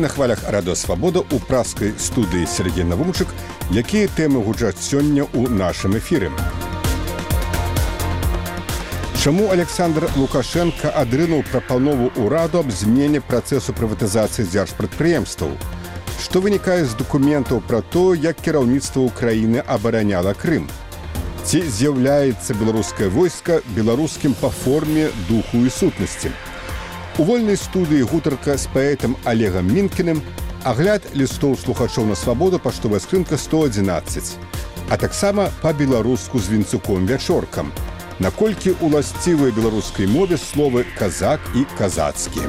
на хвалях Радыё Свабода ў праскай студыі Сергей Навумчык, якія тэмы гучаць сёння ў нашым эфіры. Чаму Александр Лукашенко адрынуў прапанову ўраду аб змене працэсу прыватызацыі дзяржпрадпрыемстваў? Што вынікае з дакументаў пра то, як кіраўніцтва ўкраіны абараняла Крым? Ці з'яўляецца беларускае войска беларускім па форме, духу і сутнасці? У вольнай студыі гутарка з паэтам Олегам Мінкіным, агляд лістоў слухачоў на Свабоду, паштовая скрынка 111, а таксама па-беларуску з Вінцуком Вячоркам. Наколькі уласцівыя беларускай мове словы «казак» і «казацкі».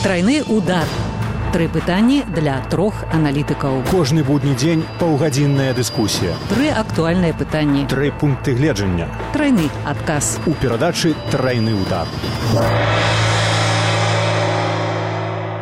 Тройны удар. 3 пытанні для 3 аналітыкаў. Кожны будні дзень паўгадзінная дыскусія. 3 актуальныя пытанні. 3 пункты гледжання. Тройны адказ. У перадачы «Тройны удар».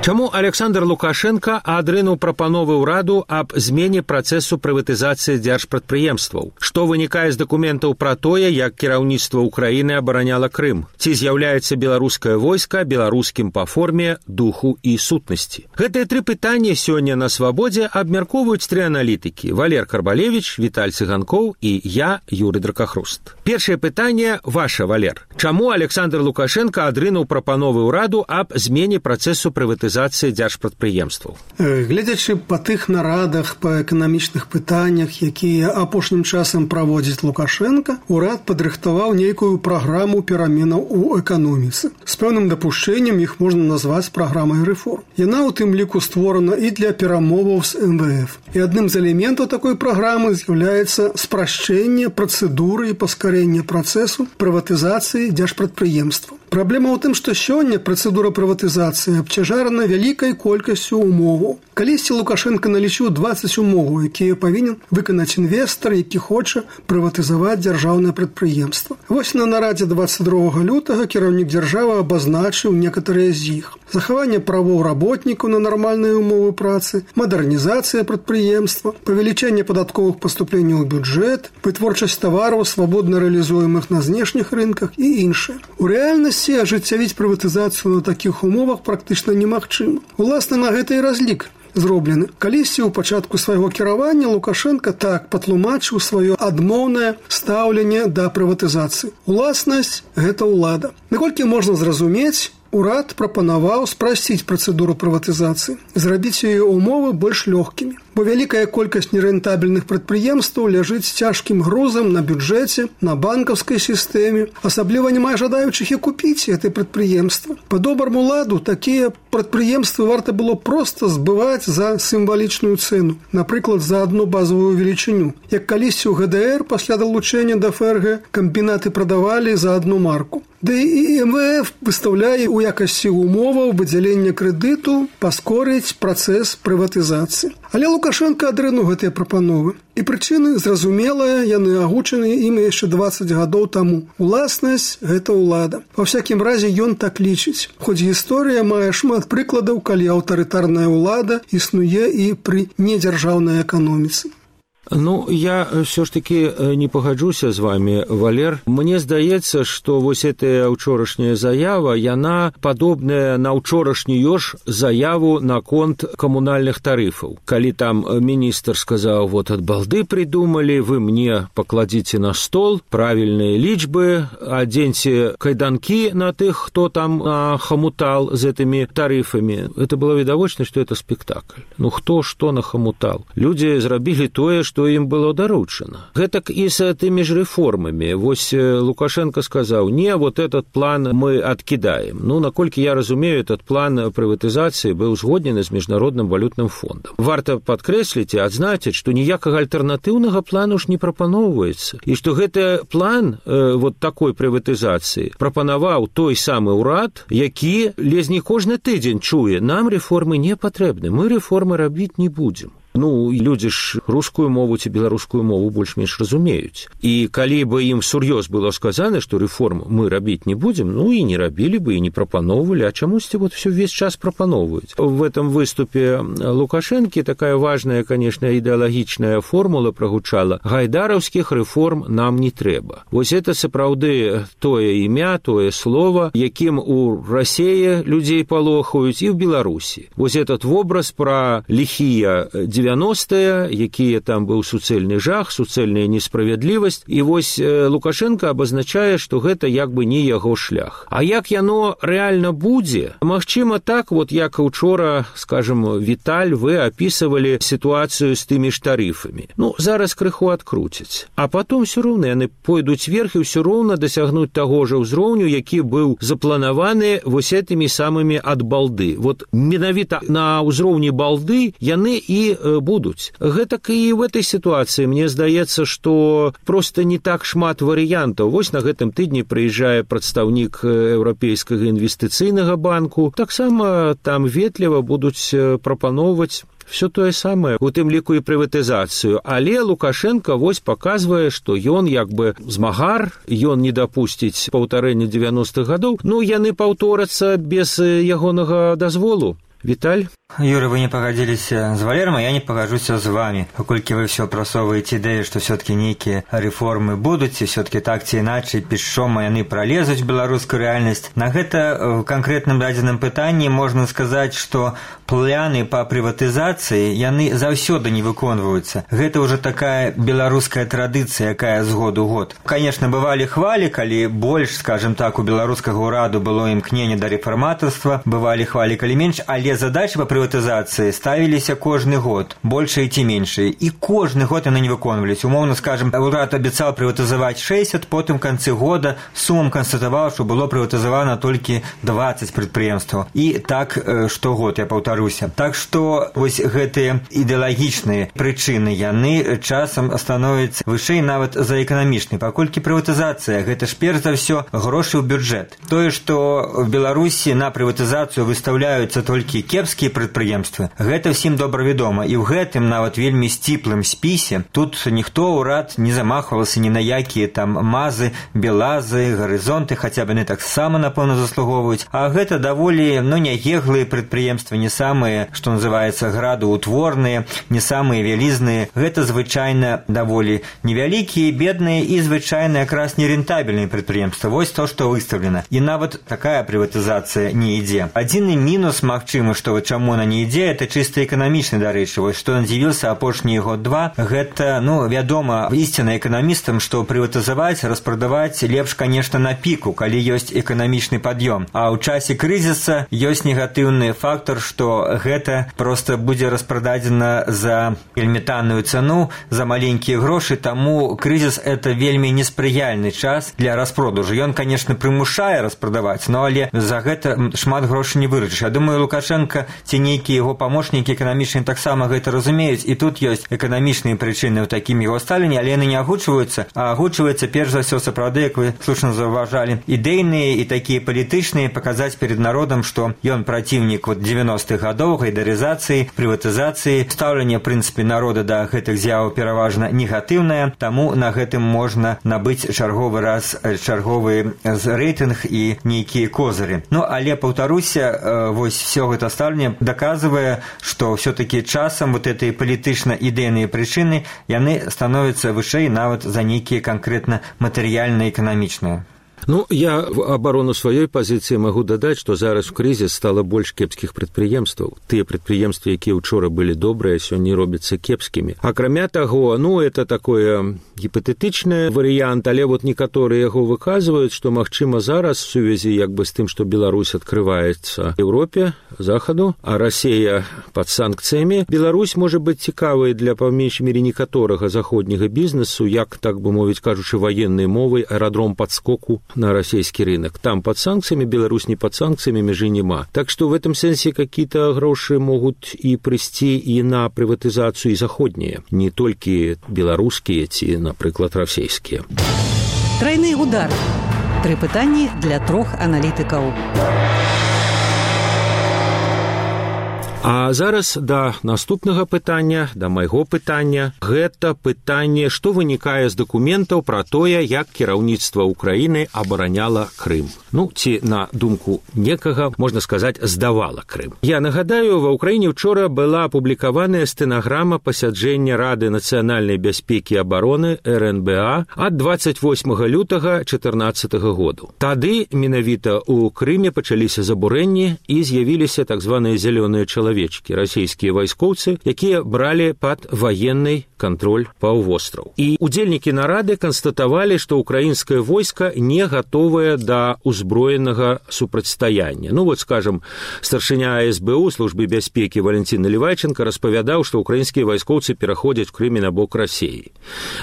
Чаму Александр Лукашенко адрынуў прапановы ўраду аб змене працэсу прыватызацыі дзяржпрадпрыемстваў? Што вынікае з дакументаў пра тое, як кіраўніцтва ўкраіны абараняла Крым? Ці з'яўляецца беларускае войска беларускім па форме, духу і сутнасці? Гэтыя 3 пытанні сёння на Свабодзе абмяркоўваюць 3 аналітыкі: Валер Карбалевіч, Віталь Цыганкоў і я, Юрый Дракахруст. Першае пытанне ваше, Валер. Чаму Александр Лукашенко адрынуў прапановы ўраду аб змене працэсу прыватызацыі дзяржпрадпрыемстваў? Гледзячы па тых нарадах па эканамічных пытаннях, якія апошнім часам праводзіць Лукашенко, урад падрыхтаваў нейкую праграму пераменаў у эканоміцы. З пэўным дапушчэннем іх можна назваць праграмай рэформ. Яна ў тым ліку створана і для перамоваў з МВФ. І адным з элементаў такой праграмы з'яўляецца спрашчэнне працэдуры і паскарэнне працэсу прыватызацыі дзяржпрадпрыемстваў. Праблема ў тым, што сёння працэдура прыватызацыі абцяжарана вялікай колькасцю умоваў. Калісьці Лукашенко налічыў 20 умоваў, якія павінен выканаць інвестар, які хоча прыватызаваць дзяржаўнае прадпрыемства. Вось на нарадзе 22 лютага кіраўнік дзяржавы абазначыў некаторыя з іх. Захаванне правоў работнікаў на нармальныя умовы працы, мадэрнізацыя прадпрыемства, павелічэнне падатковых паступленняў у бюджэт, вытворчасць тавараў, свабодна рэалізуемых на знешніх рынках і іншае. У рэальнасці ажыццявіць прыватызацыю на такіх умовах практычна немагчыма. Уласна, на гэта і разлік зроблены. Калісьці ў пачатку свайго кіравання Лукашенко так патлумачыў сваё адмоўнае стаўленне да прыватызацыі. Уласнасць – гэта ўлада. Наколькі можна зразумець, урад прапанаваў спрасціць працэдуру прыватызацыі, зрабіць яе умовы больш лёгкімі. Бо вялікая колькасць нерэнтабельных прадпрыемстваў ляжыць цяжкім грузам на бюджэце, на банкаўскай сістэме. Асабліва няма жадаючых і купіць гэтае прадпрыемства. Па добраму ладу такія прадпрыемствы варта было проста збываць за сімвалічную цэну, напрыклад, за адну базовую велічыню. Як калісьці ў ГДР пасля далучэння да ФРГ камбінаты прадавалі за одну марку. Да і МВФ выстаўляе ў якасці умоваў выдзялення крэдыту паскорыць працэс прыватызацыі. Але Лукашенко адрынуў гэтыя прапановы. І прычыны зразумелыя, яны агучаны ім яшчэ 20 гадоў таму. Уласнасць – гэта ўлада. Ва всякім разе ён так лічыць. Хоць гісторыя мае шмат прыкладаў, калі аўтарытарная ўлада існуе і пры недзяржаўнай эканоміцы. Ну, я все ж таки не пагаджуся з вами, Валер. Мне здаецца, што вось гэтая ўчорашняя заява, яна падобная на ўчорашнюю ж заяву наконт камунальных тарыфаў. Калі там міністр сказаў, вот ад балды придумали, вы мне покладзіце на стол правільныя лічбы, адзеньце кайданкі на тых, хто там хомутал з этими тарыфамі. Это было відавочна, што это спектакль. Ну, хто што нахомутал? Людзі зрабілі тое, што ім было даручана. Гэтак і з тымі ж рэформамі. Вось Лукашенко сказаў, не, вот этот план мы откидаем. Ну, наколькі я разумею, этот план прыватызацыі быў узгоднены з Міжнародным валютным фондам. Варта падкрэсліць і адзначыць, што ніякага альтэрнатыўнага плану ж не прапаноўваецца. І што гэты план вот такой прыватызацыі прапанаваў той самы ўрад, які ледзь не кожны тыдзень чуе, нам рэформы не патрэбны, мы рэформы рабіць не будзем. Ну, людзі ж рускую мову ці беларускую мову больш-менш разумеюць. І калі бы ім сур'ёз было сказана, што рэформ мы рабіць не будзем, ну і не рабілі бы, і не прапаноўвалі, а чамусьці вот всё ўвесь час прапаноўваюць. В этом выступе Лукашэнкі такая важная, конечно, ідэалагічная формула прагучала: гайдараўскіх рэформ нам не трэба. Вось это сапраўды тое імя, тое слово, якім у Расіі людзей палохаюць і ў Беларусі. Вось этот вобраз пра ліхія 90-е, якія там быў суцэльны жах, суцэльная несправядлівасць, і вось Лукашенко абазначае, што гэта як бы не яго шлях. А як яно рэальна будзе? Магчыма так, вот як учора, скажем, Віталь, вы апісывалі сітуацыю з тымі ж тарыфамі. Ну, зараз крыху адкруцяць. А потом все роўна яны пойдуць вверх і ўсё роўна дасягнуць таго ж узроўню, які быў запланаваны вось этымі самымі ад балды. Вот менавіта на ўзроўні балды яны і будуць. Гэтак і в этой ситуации мне здаецца, што просто не так шмат варыянтаў. Вось на гэтым тыдні прыязджае прадстаўнік Еўрапейскага інвестыцыйнага банку. Таксама там ветліва будуць прапаноўваць все тое самае, у тым ліку і прыватызацыю. Але Лукашенко вось паказвае, што ён як бы змагар, ён не дапусціць паўтарэння 90-х гадоў. Ну, яны паўторацца без ягонага дазволу. Віталь? Юра, вы не пагадзіліся з Валером, а я не пагаджуся з вами. Паколькі вы все прасоўваеце ідэю, што все-таки нейкія рэформы будуць, і все-таки так ці іначай пішчом яны пралезуць беларускую рэальнасць. На гэта в канкрэтным дадзеным пытанні можна сказаць, што планы па прыватызацыі яны заўсёды не выконваюцца. Гэта ўжо такая беларуская традыцыя, якая з году ў год. Конечно, бывалі хвалі, калі больш, скажем так, у беларускага ўраду было імкненне да рэфарматарства, бывалі хвалі, калі менш, але задачы па прыватызацыі ставіліся кожны год, большыя ці меншыя, і кожны год яны не выконваліся. Умоўна, скажем, урад абяцаў прыватызаваць 60, потым в канцы года сумам канстатаваў, што было прыватызавана толькі 20 прадпрыемстваў. І так штогод, я паўтаруся. Так што вось гэтыя ідэалагічныя прычыны, яны часам становяцца вышэй нават за эканамічнай, паколькі прыватызацыя гэта ж перш за ўсё грошы ў бюджэт. Тое, што в Беларусі на прыватызацыю выстаўляюцца толькі кепскія прадпрыемствы, гэта ўсім добра вядома, і ў гэтым нават вельмі сціплым спісе тут ніхто ўрад не замахвалася ні на якія там мазы, белазы, гарызонты, хаця б яны таксама, напэўна, заслугоўваюць. А гэта даволі, няеглыя прадпрыемствы, не самыя, што называецца, градоўтворныя, не самыя вялізныя. Гэта звычайна даволі невялікія, бедныя і звычайна якраз нерентабельныя прадпрыемствы. Вось то, што выстаўлена. І нават такая прыватызацыя не ідзе. Адзіны мінус, магчыма, што чаму она не ідзе, это чыста эканамічны, дарэчы. Вось што ён дзівіўся апошнія год-два, гэта, вядома, ісціна эканамістам, што прыватызаваць, распрадаваць лепш, конечно, на піку, калі ёсць эканамічны пад'ём. А ў часе крызіса ёсць негатыўны фактор, што гэта проста будзе распрададзена за вельмі танную цану, за маленькія грошы, таму крызіс – это вельмі неспрыяльны час для распродажу. Ён, конечно, прымушае распрадаваць, але за гэта шмат грошай не выручыш. Я думаю, Лукашенко ці нейкія яго памочнікі эканамічныя таксама гэта разумеюць, і тут ёсць эканамічныя прычыны ў такім яго стаўленні, але яны не агучваюцца, а агучваюцца перш за ўсё сапраўды, як вы слушна заўважалі, ідэйныя і такія палітычныя, паказаць перед народам, што ён праціўнік 90-х гадоў гайдарызацыі, прыватызацыі. Стаўленне, в прынцыпе, народа да гэтых з'яваў пераважна негатыўнае, таму на гэтым можна набыць чарговы раз чарговы рэйтынг і нейкія козыры. Але, паўтаруся, вось все гэта стаўленне даказвае, што все-таки часам гэтыя палітычна-ідэйныя прычыны, яны становяцца вышэй нават за нейкія канкрэтна матэрыяльна-эканамічныя. Я в абарону сваёй пазіцыі магу дадаць, што зараз у крызіс стала больш кепскіх прадпрыемстваў. Тыя прадпрыемствы, якія ўчора былі добрыя, сёння робяцца кепскімі. Акрамя таго, это такое гіпатэтычны варыянт, але некаторыя яго выказваюць, што магчыма зараз в сувязі з тым, што Беларусь адкрываецца Еўропе, Захаду, а Расія пад санкцыямі, Беларусь можа быць цікавай для па меншай мере некаторага заходняга бізнесу, як, так бы мовіць, кажучы ваеннай мовай, аэрадром падскоку на расійскі рынок. Там под санкциями, Беларусь не под санкциями, межи нема. Так что в этом сенсе какие-то гроши могут и прийти и на приватизацию и заходние, не только белорусские, ці, наприклад, расійские. Тройный удар. 3 пытанні для 3 аналітыкаў. А зараз да наступнага пытання, да майго пытання. Гэта пытанне, што вынікае з дакументаў пра тое, як кіраўніцтва Украіны абараняла Крым. Ну, ці, на думку некага, можна сказаць, здавала Крым. Я нагадаю, ва Ўкраіне учора была апублікаваная стэнаграма пасяджэння Рады нацыянальнай бяспекі і абароны РНБА ад 28 лютага 2014 году. Тады менавіта ў Крыме пачаліся забурэнні і з'явіліся так званыя зялёныя чалавечкі, расійскія вайскоўцы, якія бралі пад ваенны кантроль паўвостраў. І удзельнікі нарады канстатавалі, што ўкраінскае войска не гатовае да узброенага супрацьстаяння. Ну вот, скажем, старшыня СБУ службы бяспекі Валентин Наливайченко распавядаў, што ўкраінскія вайскоўцы пераходзяць в Крыме на бок Расіі.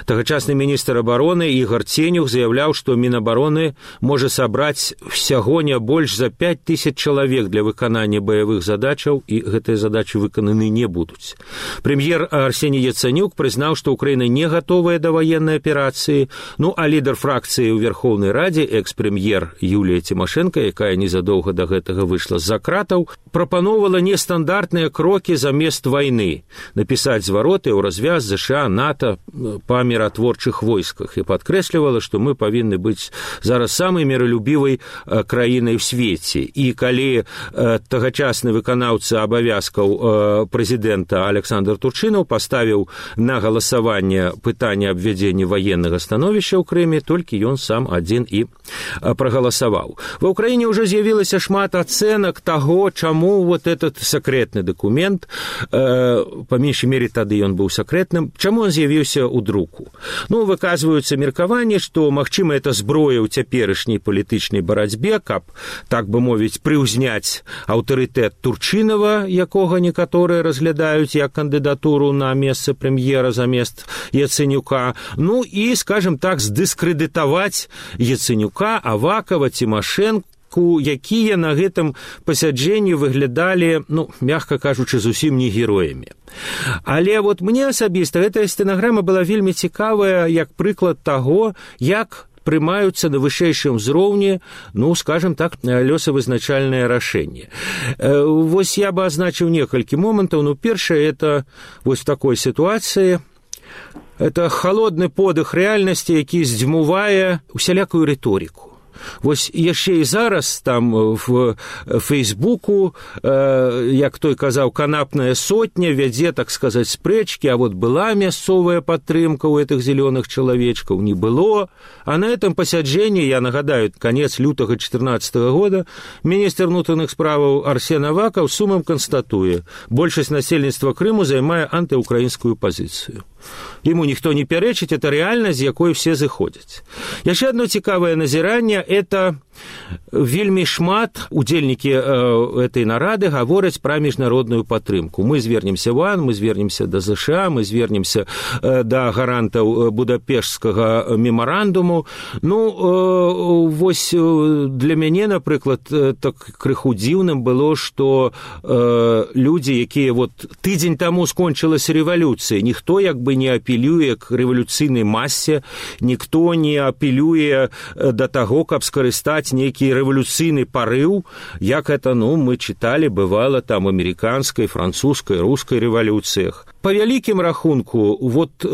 Тагачасны міністр абароны Ігор Ценюх заяўляў, што Мінабароны можа сабраць всяго не больш за 5000 чалавек для выканання баявых задачаў, і гэтыя задачы выкананы не будуць. Прэм'ер Арсеній Яценюк прызнаў, што Украіна не гатовая да ваеннай аперацыі, ну а лідар фракцыі ў Верхоўнай Радзе, экс-прэм'ер Юлія Тимошенко, якая незадоўга да гэтага выйшла з-за кратаў, прапаноўвала нестандартныя крокі замест вайны, напісаць звароты ў развяз ЗША, НАТО па міратворчых войсках і падкрэслівала, што мы павінны быць зараз самай міралюбівай краінай у свеце. І калі тагачасны выканаўца абавязкаў прэзідэнта Александр Турчынаў паставіў на галасаванне пытанне аб ввядзенні ваеннага становішча ў Крыме, толькі ён сам адзін і прагаласаваў. Ва Ўкраіне ўжо з'явілася шмат ацэнак таго, чаму вот этот сакрэтны дакумент, па меншай мере тады ён быў сакрэтным, чаму он з'явіўся ў друку. Ну, выказваюцца меркаванні, што, магчыма, это зброя ў цяперашняй палітычнай барацьбе, каб, так бы мовіць, прыўзняць аўтарытэт Турчынава, якога некаторыя разглядаюць як кандыдатуру на месца прэм'ера замест Яценюка, ну і, скажем так, здыскрэдытаваць Яценюка, Авакова, Тимошенко, якія на гэтым пасяджэнні выглядалі, ну, мягка кажучы, зусім не героямі. Але вот мне асабіста гэтая стэнаграма была вельмі цікавая як прыклад таго, як прымаюцца на вышэйшым узроўні, ну, скажем так, лёсавызначальнае рашэнне. Вось я бы азначыў некалькі момантаў. Ну, першае, это вось в такой сітуацыі, это холодны подых рэальнасці, які здзьмувае усялякую рыторыку. Вось яшчэ і зараз там в Фейсбуку, як той казаў, канапная сотня вядзе, так сказаць, спрэчкі, а вот была мясцовая падтрымка ў гэтых зелёных чалавечкаў, не было. А на этом пасяджэнні, я нагадаю, конец лютага 2014 года, міністр внутренних справаў Арсен Аваков сумам констатуе, большасць насельніцтва Крыму займае антыукраінскую пазіцыю. Ему ніхто не пярэчыць, это рэальнасць, з якой все зыходзяць. Яшчэ одно цікавае назіранне, это вельмі шмат удзельнікі этой нарады гавораць пра міжнародную падтрымку. Мы звернемся в ОАН, мы звернемся да ЗША, мы звернемся да гарантаў Будапешцкага мемарандуму. Ну, вось для мяне, напрыклад, так крыху дзіўным было, што людзі, якія вот тыдзень таму скончылася рэвалюцыя, ніхто як бы не апелюе к рэвалюцыйнай масе, ніхто не апелюе да таго, каб скарыстаць нейкі рэвалюцыйны парыў, як это, ну, мы чыталі, бывала там амерыканскай, французскай, рускай рэвалюцыях. По вялікім рахунку, вот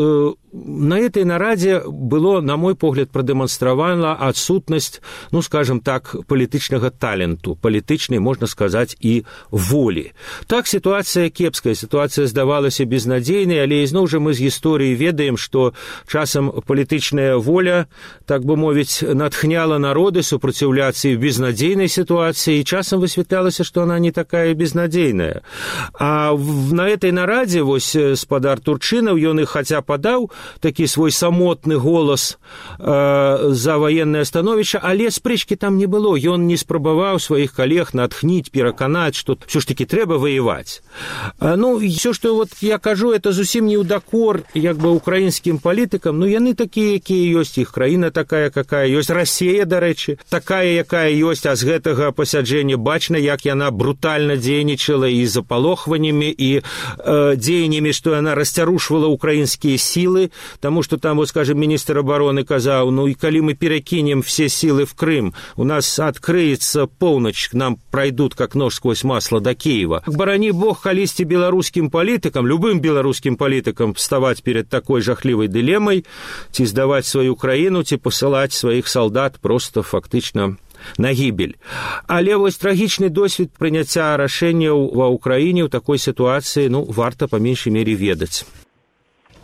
на этой нараде было, на мой погляд, продемонстравана отсутность, ну, скажем так, палітычнага таленту, палітычнай, можна сказаць, і волі. Так, ситуация кепская, ситуация здавалася безнадзейнай, але ізноў жа мы з гісторыі ведаем, што часам палітычная воля, так бы мовіць, натхняла народы супраціўляцца і в безнадзейнай ситуации, і часам высвятлялася, што она не такая безнадзейная. А на этой нараде, вось, спадар Турчынаў, ён і хаця падаў такі свой самотны голас за ваеннае становішча, але спрэчкі там не было. Ён не спрабаваў сваіх калег натхніць, пераканаць, што ўсё ж такі трэба ваяваць. Ну, ўсё, што вот я кажу, это зусім не ў дакор як бы украінскім палітыкам, ну, яны такія, якія ёсць, іх краіна такая, какая ёсць, Расія, дарэчы, такая, якая ёсць, а з гэтага пасяджэння бачна, як яна брутальна дзейнічала і запалохваннямі, і дзеяннямі заявлениями, что она расцярушивала украинские силы, потому что там, вот, скажем, министр обороны казал, ну и коли мы перекинем все силы в Крым, у нас открыется полночь, к нам пройдут как нож сквозь масло до Киева. Барани бог колисти белорусским политикам, любым белорусским политикам вставать перед такой жахливой дилеммой, ці сдавать свою Украину, ці посылать своих солдат просто фактично на гибель. Але вось трагічны досвед прыняцця рашэнняў ва ўкраіне ў такой сітуацыі, ну, варта па меншай мере ведаць.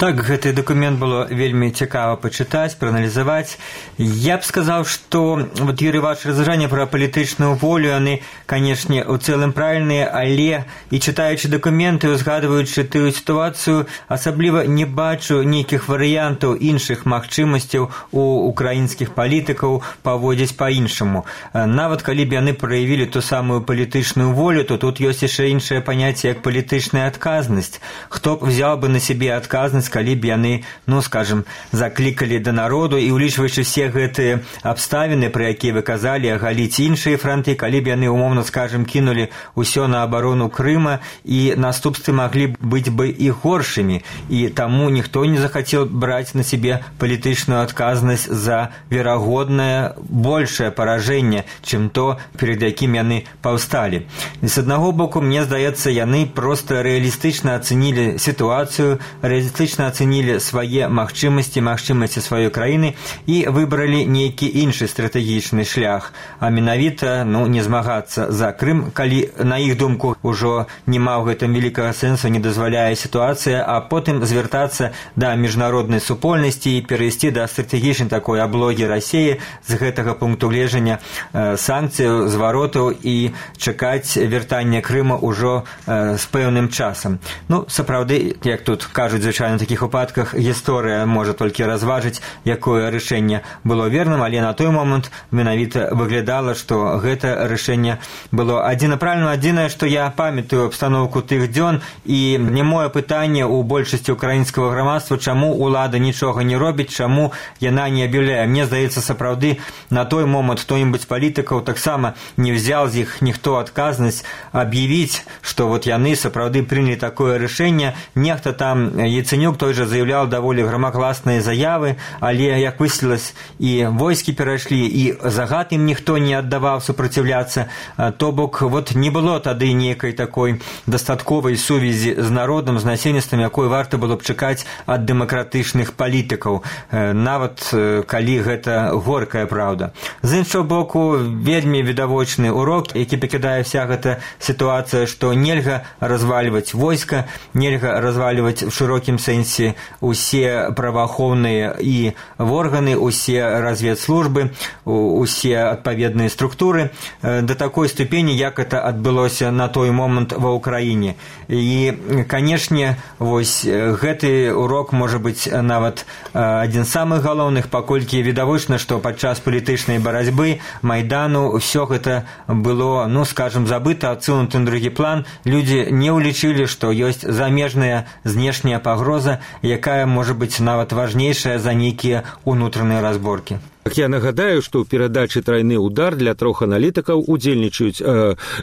Так, гэты документ было вельмі цікава пачытаць, прааналізаваць. Я б сказаў, што вот, Юрий, ваше разважанне пра палітычную волю, яны, канешне, у цэлым правільныя, але і чытаючы дакументы, узгадваючы тую сітуацыю, асабліва не бачу нейкіх варыянтаў іншых магчымасцяў у украінскіх палітыкаў паводзіць па-іншаму. Нават калі б яны праявілі ту самую палітычную волю, то тут ёсць яшчэ іншае паняцце, як палітычная адказнасць. Хто б взяў бы на сябе адказнасць, калі б яны, ну, скажем, заклікалі да народу і улічваючы все гэтыя абставіны, пра якія вы казалі, агаліць іншыя фронты, калі б яны, умоўна скажем, кінулі ўсё на абарону Крыма, і наступствы маглі быць бы і горшымі, і таму ніхто не захацеў браць на сябе палітычную адказнасць за верагоднае большее паражэнне, чым то, перед якім яны паўсталі. І з аднаго боку, мне здаецца, яны проста рэалістычна ацэнілі сітуацыю, рэалістычна ацэнілі свае магчымасці сваёй краіны і выбралі нейкі іншы стратэгічны шлях, а менавіта, ну, не змагацца за Крым, калі, на іх думку, ужо няма ў гэтым вялікага сэнсу, не дазваляе сітуацыя, а потым звяртацца да міжнароднай супольнасці і перайсці да стратэгічнай такой аблогі Расіі з гэтага пункту гледжання санкцыяў, зваротаў і чакаць вяртання Крыма ўжо з пэўным часам. Ну, сапраўды, як тут кажуць, звычайна, в таких выпадках гісторыя можа толькі разважыць, якое рашэнне было верным, але на той момант менавіта выглядала, што гэта рашэнне было адзіна правільным. Адзінае, што я памятаю абстаноўку тых дзён, і не моё пытанне ў большасці украінскага грамадства, чаму ўлада нічога не робіць, чаму яна не аб'яўляе. Мне здаецца, сапраўды, на той момант хто-нибудь з палітыкаў таксама не взял з іх ніхто адказнасць аб'явіць, што вот яны сапраўды прынялі такое рашэнне. Нехта там, Яценюк той же заявлял даволі грамагласныя заявы, але, як высветлілася, і войскі перайшлі, і загад ім ніхто не аддаваў супраціўляцца. То бок, вот не было тады нейкай такой дастатковай сувязі з народам, з насельніцтвам, якой варта было б чакаць ад дэмакратычных палітыкаў, нават калі гэта горкая праўда. З іншого боку, вельмі відавочны урок, які пакідае вся гэта сітуацыя, што нельга развальваць войска, нельга развальваць в шырокім сэнсе усе праваахоўныя і органы, усе разведслужбы, усе адпаведныя структуры да такой ступені, як это адбылося на той момант ва ўкраіне. І, канешне, вось гэты урок можа быць нават адзін з самых галоўных, паколькі відавочна, што падчас палітычнай барацьбы Майдану ўсё гэта было, ну, скажем, забыта, адсунуты на другі план. Людзі не ўлічылі, што ёсць замежная знешняя пагроза, якая можа быць нават важнейшая за нейкія ўнутраныя разборкі. Я нагадаю, што ў перадачы «Трайны удар» для трох аналітыкаў удзельнічаюць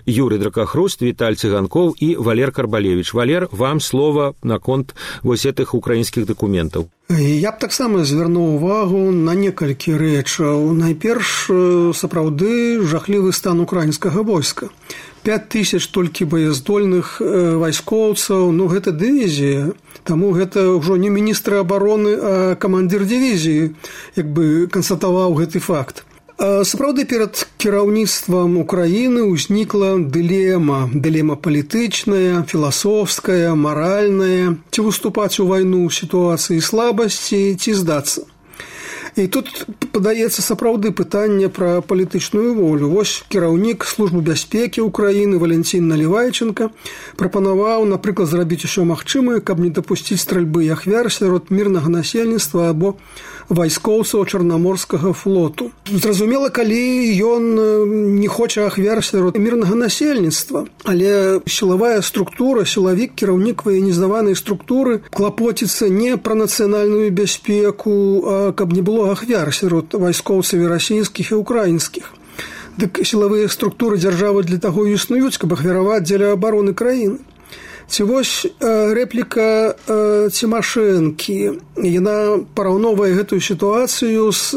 Юрий Дракахруст, Віталь Цыганкоў і Валер Карбалевич. Валер, вам слова наконт вось гэтых украінскіх дакументаў. Я б таксама звярнуў увагу на некалькі рэчаў. Найперш, сапраўды, жахлівы стан украінскага войска. 5000 толькі баяздольных вайскоўцаў, ну гэта дывізія, таму гэта ўжо не міністр абароны, а камандзір дывізіі, як бы канстатаваў гэты факт. Сапраўды, перад кіраўніцтвам Украіны ўзнікла дылема палітычная, філасофская, маральная, ці выступаць у вайну ў сітуацыі слабасці, ці здацца. І тут падаецца сапраўды пытанне пра палітычную волю. Вось кіраўнік службы бяспекі Украіны Валентин Наливайченко прапанаваў, напрыклад, зрабіць усё магчымае, каб не дапусціць стральбы і ахвяр сярод мірнага насельніцтва або вайскоўцаў Чарнаморскага флоту. Зразумела, калі ён не хоча ахвяр сярод мірнага насельніцтва, але сілавая структура, сілавік, кіраўнік ваенізаванай структуры клапоціцца не пра нацыянальную бяспеку, а каб не было ахвяр сярод вайскоўцаў расійскіх і украінскіх. Дык сілавыя структуры дзяржавы для таго існуюць, каб ахвяраваць дзеля абароны краіны. Ці вось рэпліка Цімашэнкі, яна параўноўвае гэтую сітуацыю з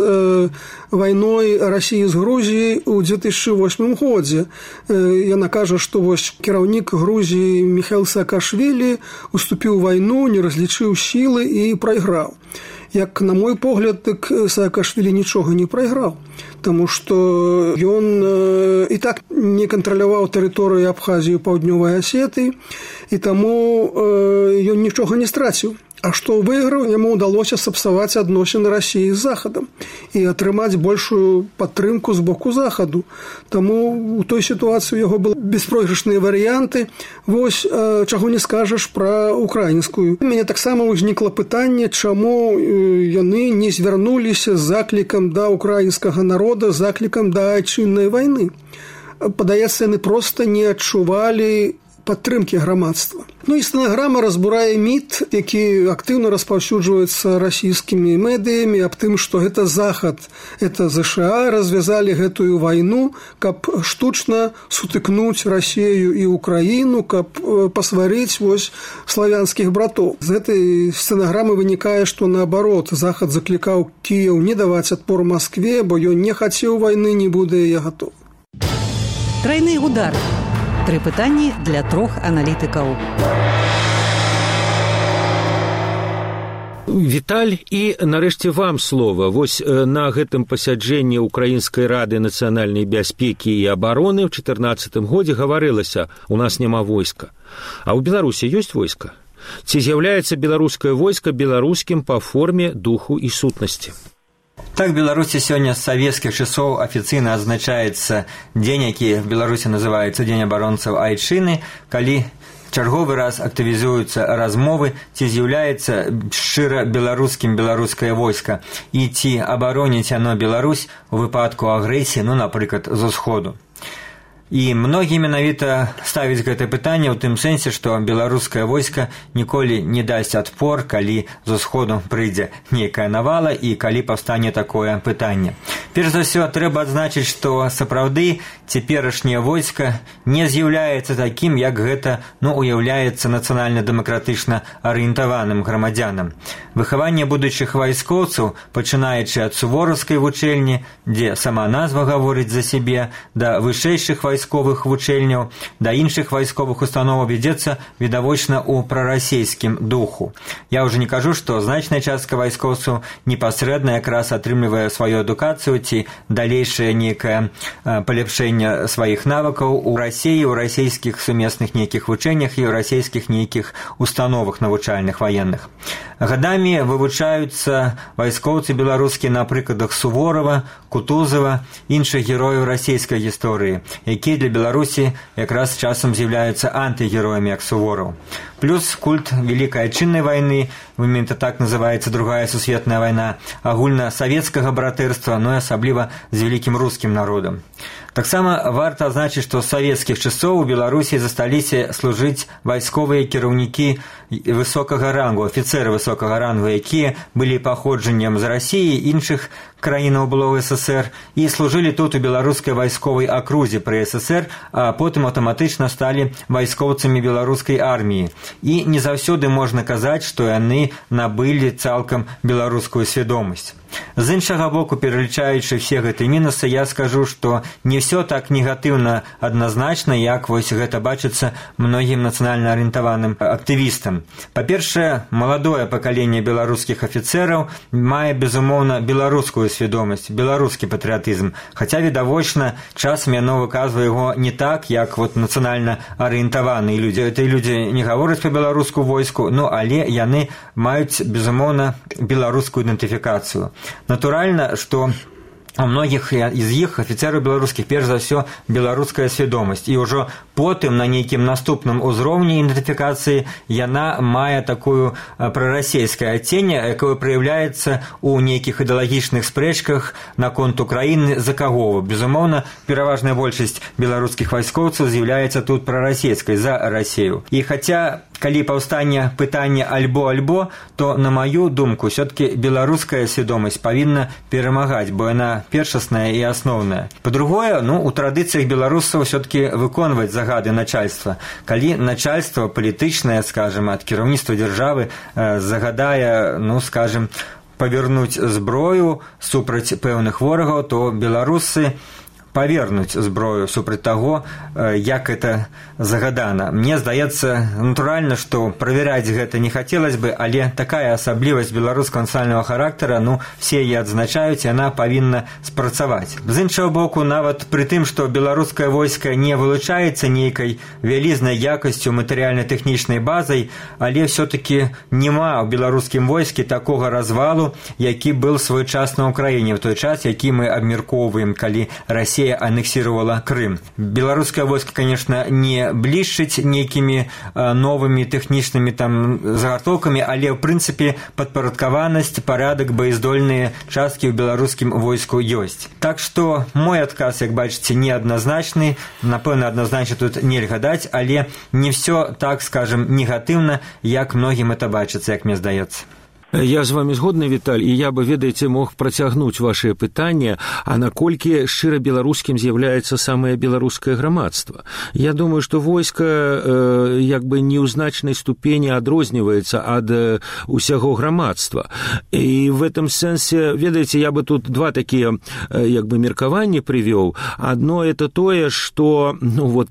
вайной Расіі з Грузіяй у 2008 годзе. Яна кажа, што вось кіраўнік Грузіі Міхаіл Саакашвілі уступіў вайну, не разлічыў сілы і прайграў. Як на мой погляд, так Саакашвілі нічога не прайграў, таму што ён і так не кантраляваў тэрыторыю Абхазіі, Паўднёвай Асетыі, і таму ён нічога не страціў. А што выйграў, яму ўдалося сапсаваць адносіны Расіі з Захадам і атрымаць большую падтрымку з боку Захаду. Таму у той сітуацыі у яго былі беспройгрышныя варыянты. Вось чаго не скажаш пра украінскую. У мяне таксама ўзнікла пытанне, чаму яны не звярнуліся з заклікам да украінскага народа, з заклікам да айчыннай вайны. Падаецца, яны проста не адчувалі падтрымкі грамадства. Ну і стэнаграма разбурае міт, які актыўна распаўсюджваецца расійскімі медыямі аб тым, што гэта Захад, это ЗША развязалі гэтую вайну, каб штучна сутыкнуць Расію і Украіну, каб пасварыць вось славянскіх братоў. З гэтай стэнаграмы вынікае, што наабарот, Захад заклікаў Кіеў не даваць адпор Маскве, бо ён не хацеў вайны, не будзе яе гатов. Трайны удар. 3 пытанні для 3 аналітыкаў. Віталь, і нарэшце вам слова. Вось на гэтым пасяджэнні Украінскай рады нацыянальнай бяспекі і абароны ў 2014 годзе гаварылася: у нас няма войска. А ў Беларусі ёсць войска? Ці з'яўляецца беларускае войска беларускім па форме, духу і сутнасці? Так, в Беларуси сегодня с советских часов официально отзначается день, який в Беларуси называется День оборонцев Айчины, калі чарговы раз актывізуюцца размовы, ці з'яўляецца шчыра беларускім беларускае войска і ці абароніць яно Беларусь у выпадку агрэсіі, ну, напрыклад, з усходу. І многія менавіта ставяць гэта пытанне ў тым сэнсе, што беларускае войска ніколі не дасць адпор, калі з усходу прыйдзе нейкая навала і калі паўстане такое пытанне. Перш за ўсё, трэба адзначыць, што сапраўды цяперашняе войска не з'яўляецца такім, як гэта, уяўляецца нацыянальна-дэмакратычна арыентаваным грамадзянам. Выхаванне будучых вайскоўцаў, пачынаючы ад сувораўскай вучэльні, дзе сама назва гаворыць за сябе, да вышэйшых вайсковых вучэльняў, да іншых вайсковых установаў вядзецца відавочна ў прарасійскім духу. Я ўжо не кажу, што значная частка вайскоўцаў непасрэдна якраз атрымлівае сваю адукацыю ці далейшае нейкае паляпшэнне сваіх навыкаў у Расіі, у расійскіх сумесных нейкіх вучэннях і ў расійскіх нейкіх установах навучальных ваенных. Гадамі вывучаюцца вайскоўцы беларускія на прыкладах Суворова, Кутузова, іншых герояў расійскай гісторыі, якія для Беларусі якраз часам з'яўляюцца антыгероямі, як Сувораў. Плюс культ Великой Отчинной войны, именно так называется Другая сусветная война, агульнасавецкага братэрства, но и асабліва з великім рускім народам. Таксама варта адзначыць, што з савецкіх часоў у Беларусі засталіся служыць вайсковыя кіраўнікі высокага рангу, афіцэры высокага рангу, якія былі паходжаннем з Расіі і іншых краінаў былога СССР і служылі тут у беларускай вайсковай акрузе пры СССР, а потым аўтаматычна сталі вайскоўцамі беларускай арміі. І не заўсёды можна казаць, што яны набылі цалкам беларускую свядомасць. З іншага боку, пералічаючы все гэтыя мінусы, я скажу, што не все так негатыўна адназначна, як вось гэта бачыцца многім нацыянальна арыентаваным актывістам. Па-першае, маладое пакаленне беларускіх афіцэраў мае, безумоўна, беларускую свядомасць, беларускі патрыятызм, хаця відавочна часам яно выказвае яго не так, як вот нацыянальна арыентаваныя людзі. Гэтыя людзі не гавораць па-беларуску войску, але яны маюць, безумоўна, беларускую ідэнтыфікацыю. Натуральна, што у многіх з іх афіцэраў беларускіх перш за ўсё беларуская свядомасць, і ўжо потым на нейкім наступным узроўні ідэнтыфікацыі яна мае такую прарасійскае адценне, якое праяўляецца ў нейкіх ідэалагічных спрэчках наконт Украіны, за каго. Безумоўна, пераважная большасць беларускіх вайскоўцаў з'яўляецца тут прарасійскай, за Расію. І хаця калі паўстане пытанне альбо-альбо, то, на маю думку, все-таки беларуская свядомасць павінна перамагаць, бо яна першасная і асноўная. Па-другое, у традыцыях беларусаў все-таки выконваць загады начальства. Калі начальство палітычнае, скажем, ад кіраўніцтва дзяржавы загадае, скажем, павернуць зброю супраць пэўных ворагаў, то беларусы павернуць зброю супраць таго, як это загадана. Мне здаецца, натуральна, што праверяць гэта не хацелось бы, але такая асаблівасць беларускага нацыянальнага характара, все яе адзначаюць, яна павінна спрацаваць. З іншага боку, нават пры тым, што беларускае войска не вылучаецца нейкай вялізнай якасцю матэрыяльна-тэхнічнай базай, але все-таки няма ў беларускім войскі такога развалу, які был свой час на Украіне, в той час, які мы абмяркоўваем, калі Россия аннексировала Крым. Белорусское войско, конечно, не блішчыць нейкімі новымі тэхнічнымі загартоўкамі, але, в принципе, падпарадкаванасць, парадак, боездольныя часткі ў беларускім войску ёсць. Так што мой адказ, як бачыце, неадназначны, напэўна, адназначна тут нельга даць, але не все так, скажем, негатыўна, як многім это бачыцца, як мне здаецца. Я з вами згодны, Віталь, і я бы, ведаеце, мог працягнуць вашыя пытанні, а наколькі шчыра беларускім з'яўляецца самае беларускае грамадства. Я думаю, што войска як бы не ў значнай ступені адрозніваецца ад усяго грамадства. І в этом сэнсе, ведаеце, я бы тут два такія як бы меркаванні прывёў. Адно это тое, што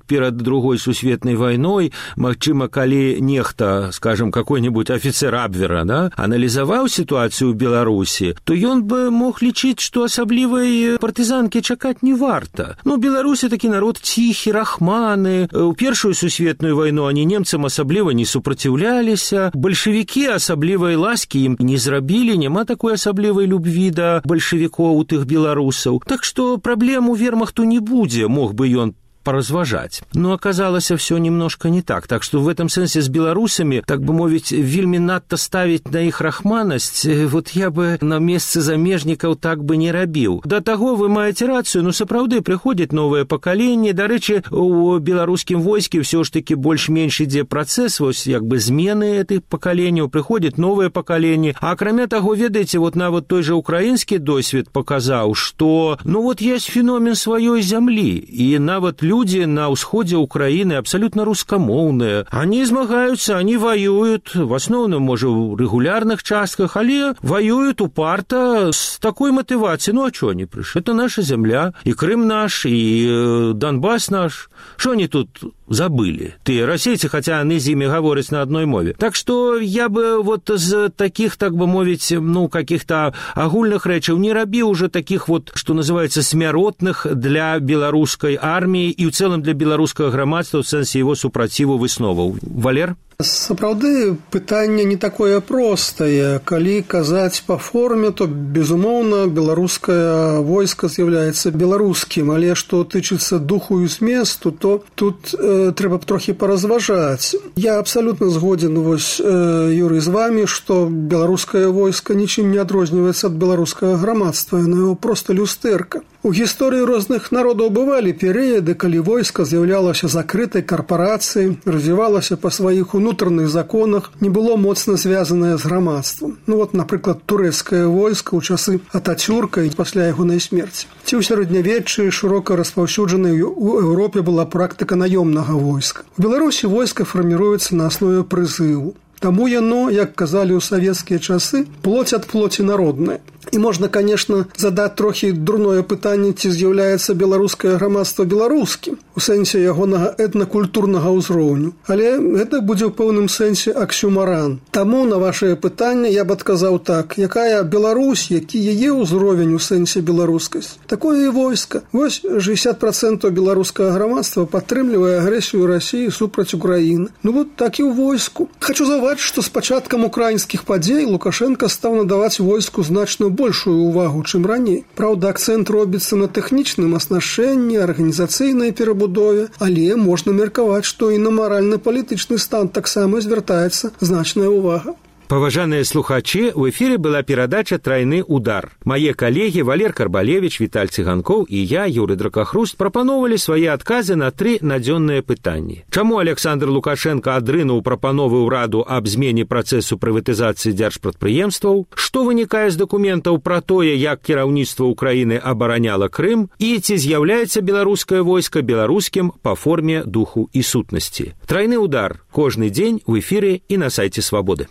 перад другой сусветнай вайной, магчыма, калі нехта, скажем, какой-нибудь афіцер Абвера, аналізаваў ситуацию в Беларуси, то ён бы мог лічыць, што асаблівай партызанкі чакаць не варта. Беларуси такі народ ціхі, рахманы. У першую сусветную вайну они немцам асабліва не супраціўляліся. Бальшавікі асаблівай ласкі ім не зрабілі, няма такой асаблівай любві да бальшавікоў у тых беларусаў. Так што праблем у вермахту не будзе, мог бы ён поразважаць. Но оказалось все немножко не так. Так что в этом сенсе с белорусами, так бы мовить, вельмі надто ставить на их рахманасць, я бы на месцы замежнікаў так бы не рабіў. Да таго вы маеце рацыю, сапраўды прыходзіць новае пакаленне. Дарэчы, у беларускім войске все ж таки больш-менш ідзе працэс, як бы змены этих пакаленняў, прыходзіць новае пакаленне. А акрамя таго, ведаеце, нават той же украінскі досвед показаў, што есть феномен сваёй зямлі, і нават люди на ўсходзе Украины абсолютно рускамоўныя. Они змагаюцца, они воюют, в основном, может, в регулярных частках, але воюют упарта с такой мотивацией. А что они пришли? Это наша земля, и Крым наш, и Донбасс наш. Что они тут забыли? Ты расейцы, хотя они з ими говорят на одной мове. Так что я бы з таких, так бы мовить, каких-то агульных рэчаў не рабіў уже таких что называется, смяротных для беларускай армии и в целом для беларускага грамадства в сэнсе его супраціву высноваў. Валер? Сапраўды, пытанне не такое простае. Калі казаць па форме, то, безумоўна, беларускае войска з'яўляецца беларускім, але што тычыцца духу і зместу, то тут трэба б трохі паразважаць. Я абсалютна згодзін, Юрый, з вами, што беларускае войска нічым не адрозніваецца ад беларускага грамадства, яно его проста люстэрка. У гісторыі розных народаў бывалі перыяды, калі войска з'яўлялася закрытай карпарацыяй, развівалася па сваіх унутраных законах, не было моцна звязанае з грамадствам. Напрыклад, турэцкае войска ў часы Атацюрка і пасля ягонай смерці. Ці ў сярэднявеччы шырока распаўсюджанай у Еўропе была практыка наёмнага войска. У Беларусі войска фарміруецца на аснове прызыву. Таму яно, як казалі ў савецкія часы, плоть ад плоці народная. І можна, конечно, задаць трохі дурное пытанне, ці з'яўляецца беларускае грамадства беларускім у сэнсе ягонага этнакультурнага ўзроўню. Але гэта будзе ў пэўным сэнсе аксюмаран. Таму на вашае пытанне я б адказаў так: якая Беларусь, які яе ўзровень у сэнсе беларускасць, такое і войска. 60% беларускага грамадства падтрымлівае агрэсію Расіі супраць Украіны. Так і ў войску. Хачу заўважыць, што з пачаткам украінскіх падзей Лукашенко стаў надаваць войску значную большую увагу, чым раней. Праўда, акцэнт робіцца на тэхнічным аснашчэнні, арганізацыйнай перабудове, але можна меркаваць, што і на маральна-палітычны стан таксама звяртаецца значная ўвага. Паважаныя слухачы, у эфире была перадача «Тройны удар». Мае калегі Валер Карбалевич, Віталь Цыганкоў і я, Юрый Дракахруст, прапановалі свае адказы на 3 надзённыя пытанні. Чаму Александр Лукашенко адрынуў прапановы ўраду аб змене працэсу прыватызацыі дзяржпрадпрыемстваў? Што вынікае з дакументаў пра тое, як кіраўніцтва Украіны абараняла Крым? І ці з'яўляецца беларускае войска беларускім па форме, духу і сутнасці? «Тройны удар» кожны дзень у эфире і на сайце Свабоды.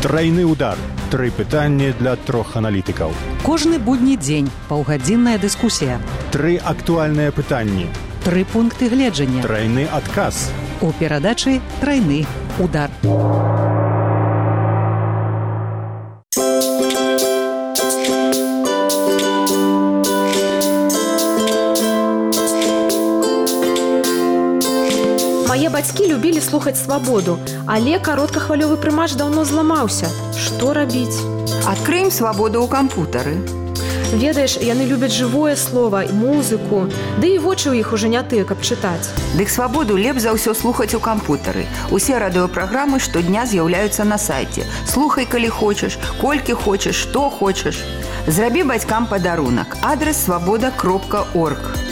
Тройны удар. 3 пытанні для 3 аналітыкаў. Кожны будні дзень паўгадзінная дыскусія. 3 актуальныя пытанні. 3 пункты гледжання. Тройны адказ. У перадачы «Тройны удар». Мае бацькі любілі слухаць «Свабоду», але кароткахвалёвы прымач даўно зламаўся. Што рабіць? Адкрыем «Свабоду» ў кампутары. Ведаеш, яны любяць жывое слова, музыку, ды і вочы ў іх ужо не тыя, каб чытаць. Дык «Свабоду» лепш за ўсё слухаць у кампутары. Усе радыёпраграмы штодня з'яўляюцца на сайце. Слухай, калі хочаш, колькі хочаш, што хочаш. Зрабі бацькам падарунак. Адрес свабода.орг.